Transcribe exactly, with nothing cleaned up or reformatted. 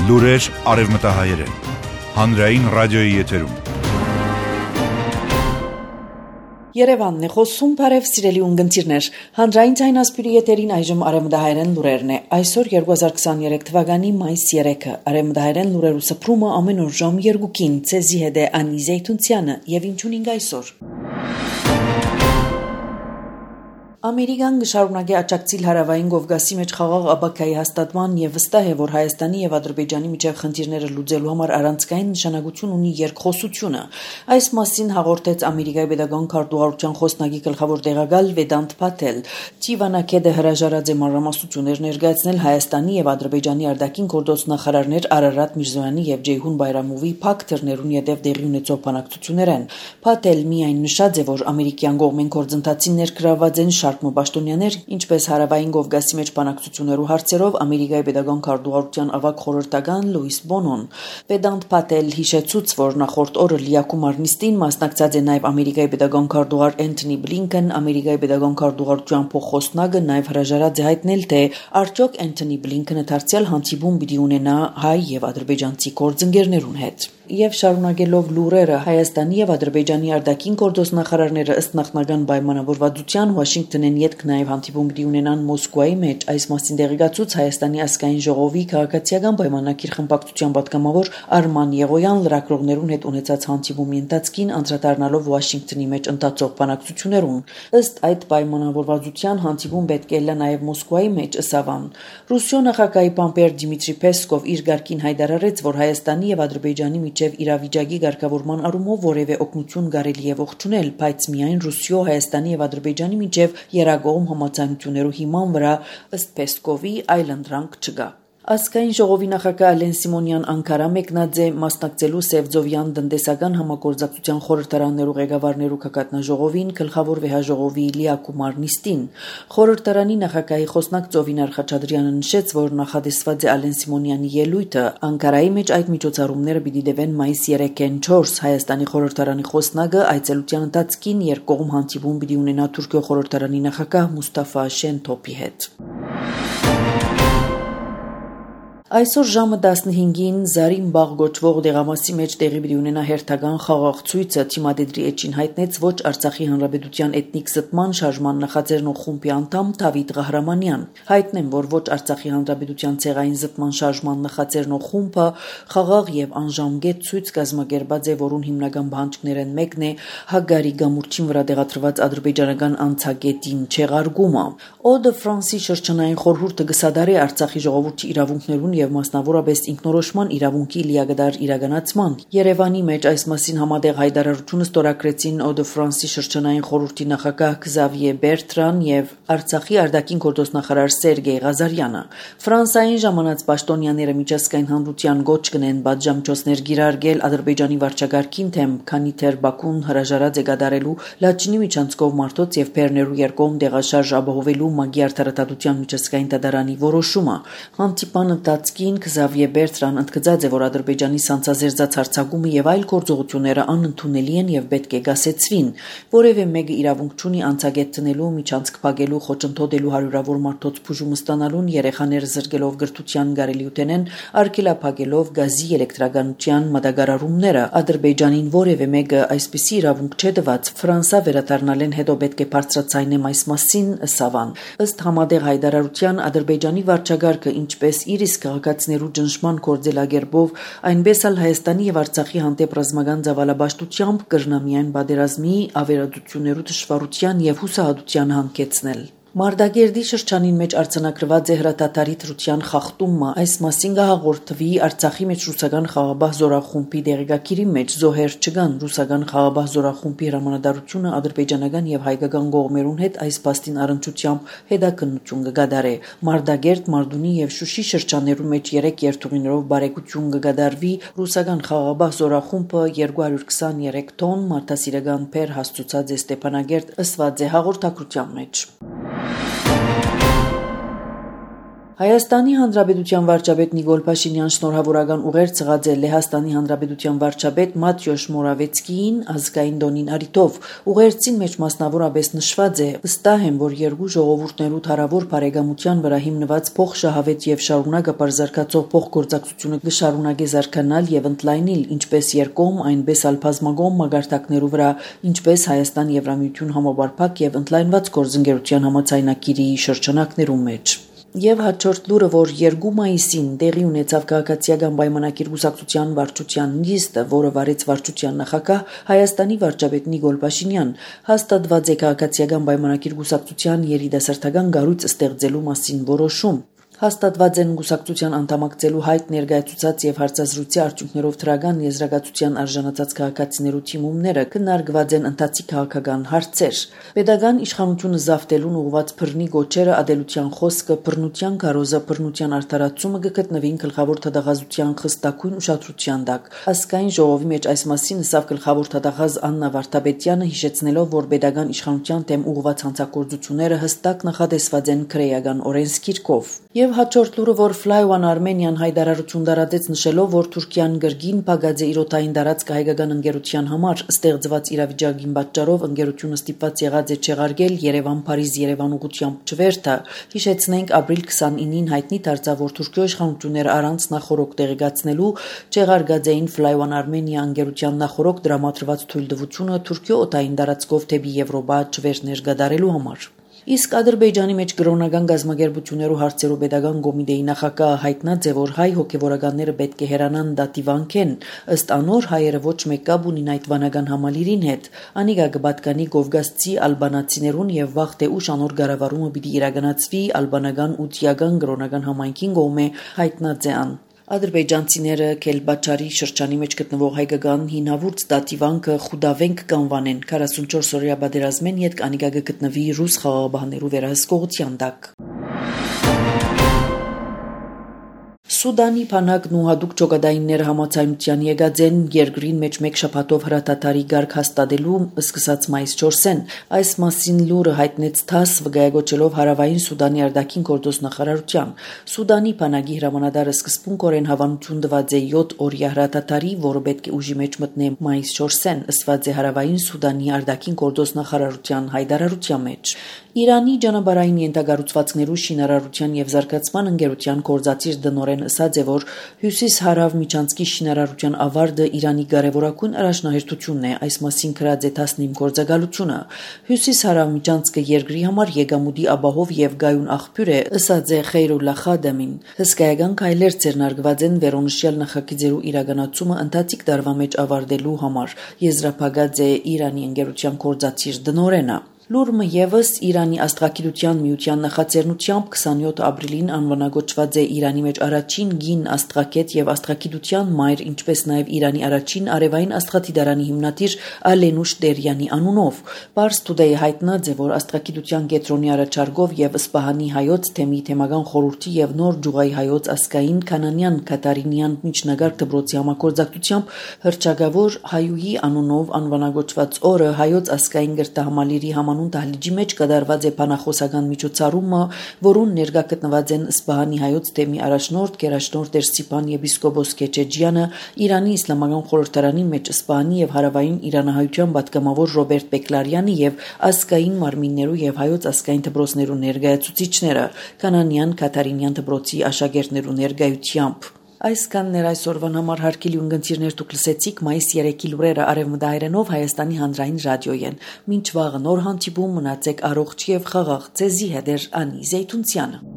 Լուրեր արևմտահայերեն, հանրային ռադիոյի եթերում։ Երևանն է խոսում, բարև սիրելի ունգընտիրներ, հանրային ձայնասպիրի եթերին այժմ արևմտահայերեն լուրերն է, այսօր երկու հազար քսաներեք թվականի մայիս երեքը, արևմտահայերեն լուրերու սփռումը ամեն օր ժամ երկուքին, ցեզի հետ է Անի Զեյթունցյանը և ինչունինգ այսօր։ Ամերիկան գշարունակի աճակցիլ հարավային Կովկասի մեջ խաղաղ ապագայի հաստատման եւ վստահ է, որ Հայաստանի եւ Ադրբեջանի միջև խնդիրները լուծելու համար առանցքային նշանակություն ունի երկխոսությունը։ Այս մասին հաղորդեց Ամերիկայի pedagogan քարտուղարության խոսնակի գլխավոր տեղակալ Վեդանտ Փաթել։ Տիվանակեդը հրաժարած է մանրամասնություններ ներկայացնել Հայաստանի եւ Ադրբեջանի արտաքին գործ նախարարներ Արարատ Միրզոյանի եւ Ջեյհուն Բայրամովի փակ թռներուն յետև դեղի ունեցող բանակցություններն։ Փաթել միայն նշած է, որ ամերիկյան կողմեն գործընթացին ներգրավված են Մոբաշտոնյաներ, ինչպես հարավային Կովկասի մեջ բանակցություններու հարցերով Ամերիկայի pedagogan քարտուղարության ավագ խորհրդական Լուիս Բոնոն։ Վեդանտ Փաթել հիշեցուց, որ նախորդ օրը լիակումար նիստին մասնակցած է նաև Ամերիկայի pedagogan քարտուղար Էնթոնի Բլինքեն, Ամերիկայի pedagogan քարտուղարության փոխխոսնակը նաև հրաժարած է հայտնել, թե արդյոք Էնթոնի Բլինքենը դարձյալ հանդիպում պիտի ունենա հայ եւ ադրբեջանցի գործընկերներուն հետ։ Եվ շարունակելով լուրերը, Հայաստանի եւ Ադրբեջանի արտաքին գործ նախարարները ըստ նախնական պայմանավորվածության Վաշինգտոնեն յետք նաև հանդիպում պիտի ունենան Մոսկվայի մեջ, այս մասին տեղեկացուց Հայաստանի ազգային ժողովի քաղաքացիական պայմանագիր խմբակցության պատգամավոր Արման Եղոյան լրագրողներուն հետ ունեցած հանդիպումի ընթացքին անդրադառնալով Վաշինգտոնի մեջ ընթացող բանակցություններուն։ Ըստ այդ պայմանավորվածության հանդիպում պետք է լա նաև Մոսկվայի մեջ ըսավան։ Ռուսիո նախագահի պամպեր Դիմիտրի Պեսկով իր գարկին հայտարարեց, որ Հայաստանի եւ Ադրբեջանի միջև իրավիճակի ղեկավարման առումով որևէ օգնություն կարելի է ողջունել, բայց միայն Ռուսիո, Հայաստանի եւ Ադրբեջանի միջև երագողմ համաձայնություններու հիման վրա, ըստ Պեսկովի, այլընտրանք չկա։ Ազգային ժողովի նախագահ Ալեն Սիմոնյան Անկարա մեկնած է մասնակցելու Սևձովյան տնտեսական համագործակցության խորհրդարաններու ղեկավարներու քակատնաժողովին գլխավոր վեհաժողովի լիակումար նիստին։ Խորհրդարանի նախագահի խոսնակ Ծովինար Խաչատրյանը նշեց, որ նախադեсված է Ալեն Սիմոնյանի ելույթը Անկարայի մեջ այդ միջոցառումները պիտի դեվեն մայիս երեքին չորս։ Հայաստանի խորհրդարանի խոսնակը այցելության ընթացքին երկկողմ հանդիպում պիտի ունենա Թուրքիո խորհրդարանի նախագահ Մուստաֆա Շենթոփի հետ։ Այսօր ժամը տասնհինգին Զարինբաղ գոչվող դեղամասի մեջ տեղի պիտի ունենա հերթական խաղաղ ցույցը Թիմադեդրի էջին հայտնեց ոչ Արցախի հանրապետության էթնիկ զտման շարժման նախաձեռնող խումբի անդամ Դավիթ Ղահրամանյան։ Հայտնեմ, որ ոչ Արցախի հանրապետության ցեղային զտման շարժման նախաձեռնող խումբը խաղաղ եւ անժամկետ ցույց կազմակերպած է, որուն հիմնական բանջկներն մեկն է Հագարի գամուրջին վրա տեղադրված ադրբեջանական անցագետին չեղարկումը։ Օդը Ֆրանսի շրջանային խորհուրդը գսադարի Արցախի ժողովրդի իրավունքներուն եւ մասնավորապես ինքնորոշման իրավունքի լիագդար իրականացման։ Երևանի մեջ այս մասին համատեղ հայտարարությունը ստորագրեցին Օդը Ֆրանսի շրջանային խորհրդի նախագահ Քզավիե Բերտրան եւ Արցախի արտաքին գործ նախարար Սերգեյ Ղազարյանը։ Ֆրանսային ժամանած պաշտոնյաները միջազգային հանրության գոչ կնեն բաժամիջոցներ գիրարգել Ադրբեջանի վարչագահին թեմ, քանի թեր Բաքուն հրաժարած է կատարելու Լաչինի միջանցքով մարտոց եւ Պերներու երկկողմ տեղաշարժ ապահովելու Մագի արդարադատության միջազգային դատարանի որոշումը։ Հանդիպան ընթացքին Քզավիե Բերտրան ընդգծած է, որ Ադրբեջանի սանձազերծած հարձակումը եւ այլ գործողությունները անընդունելի են եւ պետք է գասեցվին։ Որևէ մեկը իրավունք չունի անցագետ տնելու, միջանցք փակելու, խոչընդոտելու հարյուրավոր մարդոց բուժում ստանալուն, երեխաները զրկելով գրթության գարելիութենեն, արգելափակելով գազի էլեկտրականության մատակարարումները։ Ադրբեջանին որևէ մեկը այսպիսի իրավունք չէ տված։ Ֆրանսա վերադառնալեն հետո պետք է բարձրացնեն այս մասին ըսավան։ Ըստ համատեղ հայտարարության Ադրբեջանի վարչագահը ինչպես իր իսկ քաղաքացիներու ճնշման կորձելագերբով, այնպես էլ Հայաստանի եւ Արցախի հանդեպ ռազմական ծավալաբաշխությամբ կրնա միայն պատերազմի, ավերածություններու դժվարության եւ հուսահատության հանգեցնել։ Մարտակերտի շրջանին մեջ արձանագրված է հրատատարի դրության խախտումը։ Այս մասին կհաղորդվի Արցախի մեջ ռուսական խաղաբահ զորախումբի դեղեկագիրի մեջ զոհեր չկան։ Ռուսական խաղաբահ զորախումբի հրամանատարությունը ադրբեջանական եւ հայկական կողմերուն հետ այս փաստին առնչությամբ հետաքննություն կգադարի։ Մարտակերտ, Մարդունի եւ Շուշի շրջաններու մեջ երեք երթուղիներով բարեկություն կգադարվի։ Ռուսական խաղաբահ զորախումբը երկու հարյուր քսաներեք տոն մարդասիրական փեր հասցուցած է Ստեփանագերտ, ըսված է հաղորդակցության մեջ։ Հայաստանի Հանրապետության վարչապետ Նիկոլ Փաշինյան շնորհավորական ուղեր ցղած է Լեհաստանի Հանրապետության վարչապետ Մատյոշ Մորավեցկիին ազգային տոնին արիթով։ Ուղերձին մեջ մասնավորապես նշված է. վստահ եմ, որ երկու ժողովուրդներու թարավոր բարեկամության վրա հիմնված փոխշահավետ եւ շարունակապար զարգացող փոխգործակցությունը կշարունակի զարգանալ եւ ընդլայնել ինչպես երկկողմ, այնպես էլ բազմակողմ մագարտակներու վրա, ինչպես Հայաստան-Եվրամիություն համապարփակ եւ ընդլայնված գործընկերության համաձայնագիրի շրջանակներում մեջ։ Եվ հաջորդ լուրը, որ երկու մայիսին տեղի ունեցավ քաղաքացիական պայմանագիր կուսակցության վարչության նիստը, որը վարեց վարչության նախագահ Հայաստանի վարչապետ Նիկոլ Փաշինյան, հաստատված է քաղաքացիական պայմանագիր կուսակցության երիտասարդական կառույց ստեղծելու մասին որոշում։ Հաստատված են կուսակցության անդամակցելու հայտ ներկայացուցած եւ հարցազրույցի արդյունքներով թրագան եզրակացության արժանացած քաղաքացիներու թիմումները քննարկված են ընթացիկ քաղաքական հարցեր։ Պետական իշխանությունը զավթելուն ուղղված բռնի գոչերը, ադելության խոսքը, բռնության կարոզը, բռնության արդարացումը կգտնվին գլխավոր թադաղազության խստակույն ուշադրության տակ։ Ազգային ժողովի մեջ այս մասին ասավ գլխավոր թադաղազ Աննա Վարդապետյանը, հիշեցնելով, որ պետական իշխանության դեմ ուղղված հանցագործությունները հստակ նախատեսված են քրեական օրենսգիրքով։ Եվ հաջորդ լուրը, որ Fly One Armenian հայտարարություն տարածեց նշելով, որ Թուրքիան գրգին փակած է իր օդային տարածք հայկական ընկերության համար, ստեղծված իրավիճակին պատճառով ընկերությունը ստիպված եղած է չեղարկել Երևան-Փարիզ-Երևան ուղղությամբ չվերթը։ Հիշեցնենք, ապրիլ քսանինին հայտնի դարձավ, որ Թուրքիո իշխանությունները առանց նախորոք տեղեկացնելու չեղարկած էին Fly One Armenia ընկերության նախորոք դրամատրված թույլտվությունը Թուրքիո օդային տարածքով դեպի Եվրոպա չվերթներ կատարելու համար։ Իսկ Ադրբեջանի մեջ կրոնական գազམ་ագերբություններու հարցերու պետական կոմիտեի նախագահը հայտնած է, որ հայ հոգևորականները պետք է հեռանան դատիվանքեն, ըստ անոր հայերը ոչ մեկ կապ ունին այդ վանական համալիրին հետ, անիկա կպատկանի կովկասցի ալբանացիներուն եւ վաղ թե ուշ անոր կառավարումը պիտի իրականացվի ալբանական ու թիական կրոնական համայնքին կողմէ, հայտնած է ան։ Ադրբեջանցիները Քելբաչարի շրջանի մեջ գտնվող հայկական հինավուրց դատիվանքը Խուդավենք կանվանեն քառասունչորս օրյա պատերազմեն յետ անիկա կգտնվի ռուս խաղաղաբահներու վերահսկողության տակ։ Սուդանի բանակն ու հատուկ ճոգադայինները համաձայնության եկած են երկրին մեջ մեկ շաբաթով հրադադարի գարկ հաստատելու սկսած մայիս չորսին։ Այս մասին լուրը հայտնեց ԹԱՍ վկայակոչելով Հարավային Սուդանի արտաքին գործոս նախարարության։ Սուդանի բանակի հրամանատարը սկզբունքորեն հավանություն տված է յոթ օրյա հրադադարի, որը պետք է ուժի մեջ մտնե մայիս չորսին, ըսված է Հարավային Սուդանի արտաքին գործոս նախարարության հայտարարության մեջ։ Իրանի ճանապարհային ենթակառուցվածքներու շինարարության եւ զարգացման ընկերության կորզացիր դնորեն ասած է, որ հյուսիս-հարավ միջանցքի շինարարության ավարտը Իրանի կարևորագույն առաջնահերթությունն է, այս մասին գրած է տասնինը գործակալությունը։ Հյուսիս-հարավ միջանցքը երկրի համար եկամուտի ապահով եւ գայուն աղբյուր է, ասած է Խեյրուլլա Խադամին։ Հսկայական քայլեր ձեռնարկված են վերոնշյալ նախագծերու իրականացումը ընթացիկ տարվա մեջ ավարտելու համար, եզրափակած է Իրանի ընկերության կորզացիր դնորենը։ Լուրը եւս Իրանի աստղագիտության միության նախաձեռնությամբ քսանյոթ ապրիլին անվանակոչված է Իրանի մեջ առաջին գին աստղագետ եւ աստղագիտության մայր, ինչպես նաեւ Իրանի առաջին արևային աստղադիտարանի հիմնադիր Ալենուշ Տերյանի անունով։ Pars Today հայտնած է, որ աստղագիտության կենտրոնի առաջարկով եւ Սպահանի հայոց թեմի թեմական խորհրդի եւ Նոր Ջուղայի հայոց ասկային Կանանյան Կատարինյան միջնագարկ դպրոցի համագործակցությամբ հրճագավոր հայուհի անունով անվանակոչված օրը հայոց ասկային գրտահամալիրի անուն դահլիճի մեջ կդարված է բանախոսական միջոցառումը, որուն ներկա գտնված են Սպահանի հայոց թեմի առաջնորդ գերաշնորհ Տեր Ստիպան եպիսկոպոս Քեչեջյանը, Իրանի իսլամական խորհրդարանի մեջ Սպահանի եւ հարավային իրանահայության պատգամավոր Ռոբերտ Պեկլարյանը եւ ասկային մարմիններու եւ հայոց ասկային դպրոցներու ներկայացուցիչները, Կանանյան Կատարինյան դպրոցի աշակերտներու ներկայությամբ։ Այսքան ներ այսօրվան համար հարգելի ունգընտիրներ դուք լսեցիք մայիս երեքի լուրերը արևմտահայերենով Հայաստանի հանրային ռադիոյեն։ Մինչ վաղը նոր հանդիպում մնացեք առողջ եւ խաղաղ, ձեզի հետ էր Անի Զեյթունցյանը։